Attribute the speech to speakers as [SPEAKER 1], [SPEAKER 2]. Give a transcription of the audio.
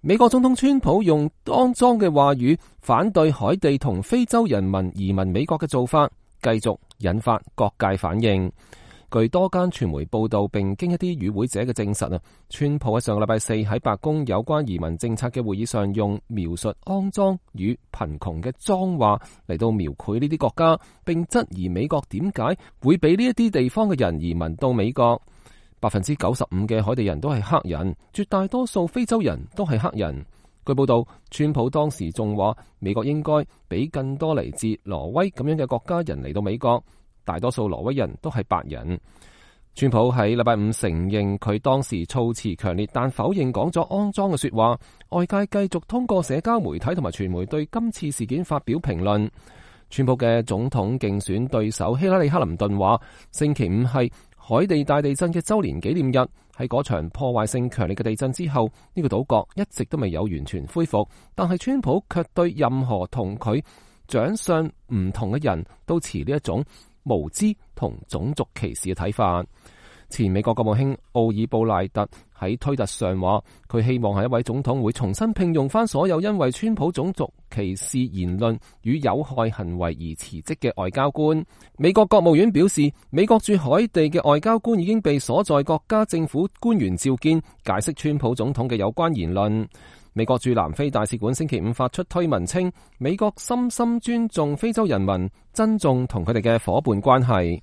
[SPEAKER 1] 美國總統川普用骯髒嘅話語反對海地同非洲人民移民美國嘅做法，繼續引發各界反應。據多間傳媒報道，並經一啲與會者嘅證實，川普喺上個禮拜四喺白宮有關移民政策嘅會議上，用描述骯髒與貧窮嘅髒話嚟到描繪呢啲國家，並質疑美國點解會俾呢一啲地方嘅人移民到美國。95%嘅海地人都係黑人，絕大多數非洲人都係黑人。據報道，川普當時仲話美國應該俾更多嚟自挪威咁樣嘅國家人嚟到美國。大多數挪威人都係白人。川普喺禮拜五承認佢當時措辭強烈，但否認講咗骯髒嘅說話。外界繼續通過社交媒體同埋傳媒對今次事件發表評論。川普嘅總統競選對手希拉里·克林頓話，星期五係海地大地震嘅週年紀念日。喺嗰場破壞性強烈嘅地震之後，呢個島國一直都未有完全恢復，但係川普卻對任何同佢長相唔同嘅人都持呢一種無知同種族歧視嘅睇法。前美國國務卿奧爾布賴特喺推特上話，佢希望下一位總統會重新聘用翻所有因為川普種族歧視言論與有害行為而辭職嘅外交官。美國國務院表示，美國駐海地嘅外交官已經被所在國家政府官員召見，解釋川普總統嘅有關言論。美國駐南非大使館星期五發出推文稱，美國深深尊重非洲人民，珍重同佢哋嘅夥伴關係。